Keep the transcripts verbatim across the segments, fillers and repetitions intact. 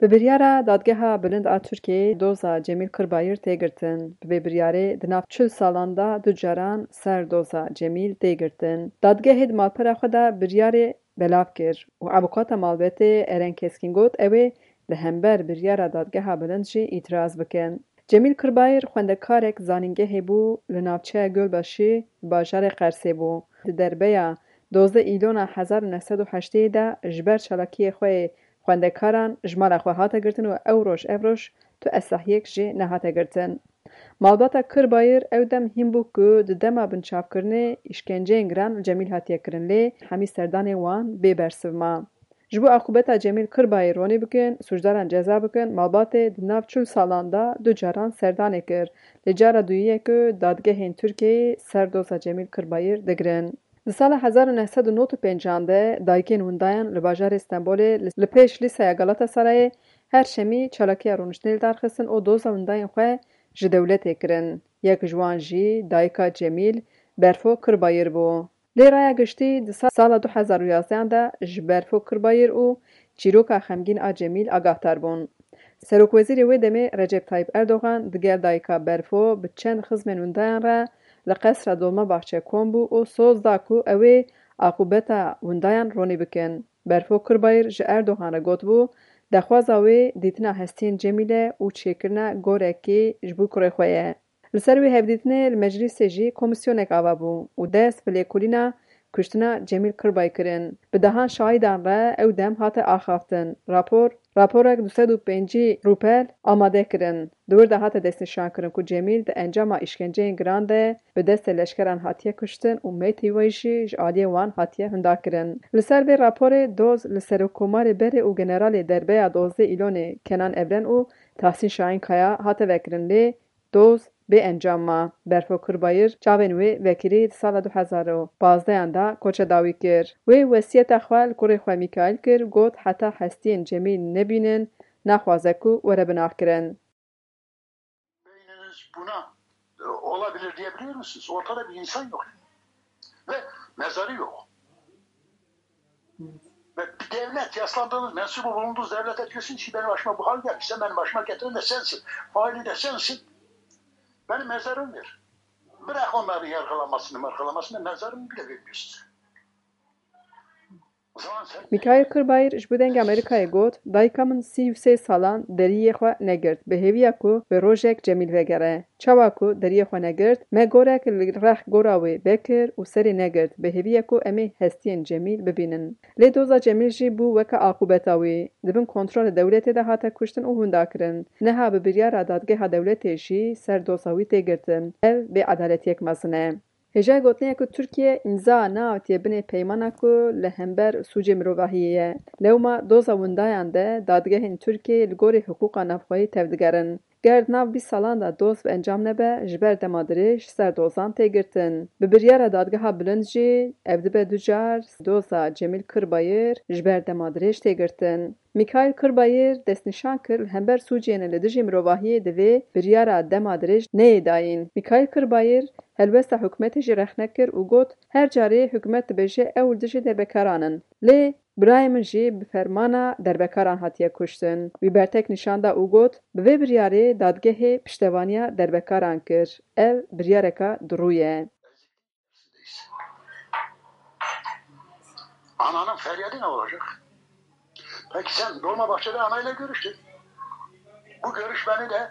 Bi biryara Dadgeha Bilind a Tirkiyeyê doza Cemîl Kirbayir tê girtin. Bi vê biryarê di nav çil salan de du caran ser doza Cemîl tê girtin. Dadgehê di malpera xwe de biryarê belav kir û avûkata malbatê Eren Keskin got, ew ê li hember biryara Dadgeha Bilind jî îtiraz bikin. Cemîl Kirbayir xwendekarek zanîngehê bû, li navçeya Gölbaşî, bajarê Qersê bû. Di derbeya dozdeh Îlona hezar û neh sed û heştê de ji ber çalakiyê xwe yê xwendekaran ji mala xwe hate girtin û ew roj ev roj tu esahiyek jî nehate girtin. Malbata Kirbayir ew dem hîn bû ku di dema binçavkirinê îşkenceyên giran li Cemîl hatiye kirin, lê hemî serdanên wan bê bersiv ma. Ji bo aqûbeta Cemîl Kirbayê ronî bikin, sûcdaran ceza bikin, malbatê di nav çil salan de du caran serdanê kir. Lê cara duyî ye ku dadgehên Tirkiyeyê ser doza Cemîl Kirbayir digirin. Di sala hezar û neh sed û nod û pêncan de dayikên windayan li bajarê Stenbolê li, li pêş Lîseya Galatasarayê her şemî çalakiya rûniştinê li dar xistin û doza windayên xwe ji dewletê kirin. Yek ji wan jî dayika Cemîl, Berfo Kirbayir bû. Lê raya giştî di sa-, sala du hezar û yazdehan de ji Berfo Kirbayir û çîroka xemgîn a Cemîl agahdar bûn. Serokwezîrê wê demê Recep Tayyip Erdogan digel dayika Berfo bi çend xizmên windayan re li Qesra Dolmabahçe kom bû û soz da ku ew ê aqûbeta windayan ronî bikin. Berfo Kirbayir ji Erdogan re gotibû, daxwaza wê dîtina hestiyên Cemîl e û çêkirina gorekê ji bo kurê xwe ye. Li ser wê hevdîtinê li meclîsê jî komîsyonek ava bû û dest bi lêkolîna kuştina Cemîl Kirbay kirin. Bi dehan şahîdan re ew dem hate axaftin. Rapor, raporek du sed û pêncî rûpel amade kirin. Di wir de hate destnîşankirin ku Cemîl di encama îşkenceyên giran de bi destê leşkeran hatiye kuştin û meytê wê jî ji aliyê wan hatiye hundakirin. Li ser vê raporê doz li Serokkomarê berê û generalê derbeya dozdeh Îlonê Kenan Evren û Tahsîn Şahin Kaya hate vekirin, lê doz bê encam ma. Berfo Kirbayir çavên wê vekirî di sala du hezar û pazdehan de koça dawî kir. Wê wesiyeta xwe li kurê xwe Mîkaîl kir, got, heta hestiyên Cemîl nebînin, naxwaze ku were binaxkirin. Beyniniz buna, e, olabilir diyebiliyor musunuz? Ortada bir insan yok. Ve mezarı yok. Ve bir devlet, yaslandığınız, mensup bulunduğunuz devlete diyorsunuz ki benim başıma bu hal geldi. Sen benim başıma getiren de sensin. Faili de sensin. Benim mezarım ver. Bırak onların yargılamasını, margılamasını, mezarımı bile vermiyor size. O zaman sen Mîkaîl Kirbayîr ji bo Dengê Amerîkayê got, dayika min sî û sê salan deriyê xwe negirt, bi hêviya ku bi rojek Cemîl vegere. Çawa ku deriyê xwe negirt, me gorek li rex gora wê vekir û serê negirt, bi hêviya ku em ê hestiyên Cemîl bibînin. Lê doza Cemîl jî bû weke aqûbeta wî. Di bin kontrolê dewletê de hate kuştin û windakirin. Niha bi biryara dadgeha dewletê jî ser doza wî tê girtin. Ev bêedaletiyek mezin e. Hêjayî gotinê ye ku Tirkiye îmza neawitiye binê peymana ku li hember sûcê mirovahiyê ye. Lewma doza windayan de dadgehên Tirkiyeyê li gorî hiqûqa navxweyî tevdigerin. Ger di nav bîst salan de doz bi encam nebe, ji ber dema dirêj ser dozan tê girtin. Bi biryara dadgeha bilind jî ev dibe du car doza Cemîl Kirbayir ji ber dema dirêj tê girtin. Mîkaîl Kirbayir destnîşan kir, li hember sûcên li dijî mirovahiyê divê biryara dema dirêj neyê dayîn. Mîkaîl Kirbayir helwesta hikûmetê jî rexne kir û got, her carê hikûmet dibêje ew li dijî derbekaran in. Lê birayê min jî bi fermana derbekaran hatiye kuştin. Wî bertek nîşan da û got, bi vê biryarê dadgehê piştevaniya derbekaran kir. Ev biryareka dirû ye. Ananın feryadı ne olacak? Peki sen Dolmabahçe'de anayla görüştün. Bu görüşmeni de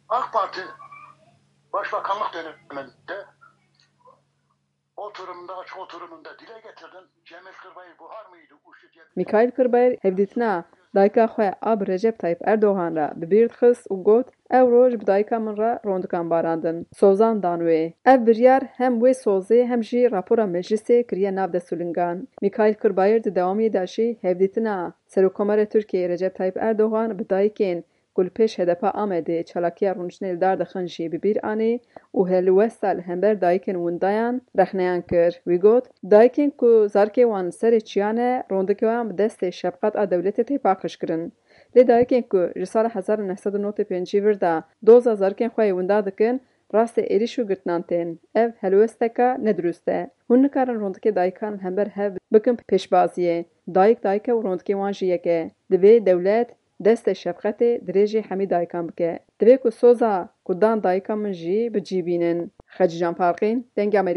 AK Parti Başbakanlık döneminde oturumunda, açık oturumunda dile getirdin. Cemil Kırbayır buhar mıydı? Uçtu cep- Mîkaîl Kirbayir hevdîtina dayika xwe a bi Recep Tayyip Erdogan re bi bîr dixist û got, ew roj bi dayika min re rondikan barandin. Sozan dan wê. Ev biryar hem wê sozê hem jî rapora meclisê kiriye nav dest û lingan. Mîkaîl Kirbayir di dewamiyê de jî hevdîtina Serokkomarê Tirkiyeyê Recep Tayyip Erdogan bi dayikên ku li pêş H D P Amedê çalakiya rûniştinê li dar dixin jî bi bîr anî û helwesta li hember dayikên windayan rexneyan kir. Wî got, dayikên ku zarkê wan serê çiyan e, rondikê wan bi destê şefqet a dewletê tê paqij kirin. Lê dayikên ku ji sala hezar û neh sed û nod û pêncî vir de doza zarkên xwe yê winda dikin, rastê êrîş û girtinan tên. Ev helwesteka nedurust e. Hûn nikarin rondikê dayikan li hember hev bikin pêşbaziyê. Dayik dayik e û rondikê wan jî yek e. Divê dewlet destê şefqetê dirêjî hemî dayikan bike. Divê ku soza ku dan dayika min jî bi cî bînin. Xecîcan Farqîn, Dengê Amerîka.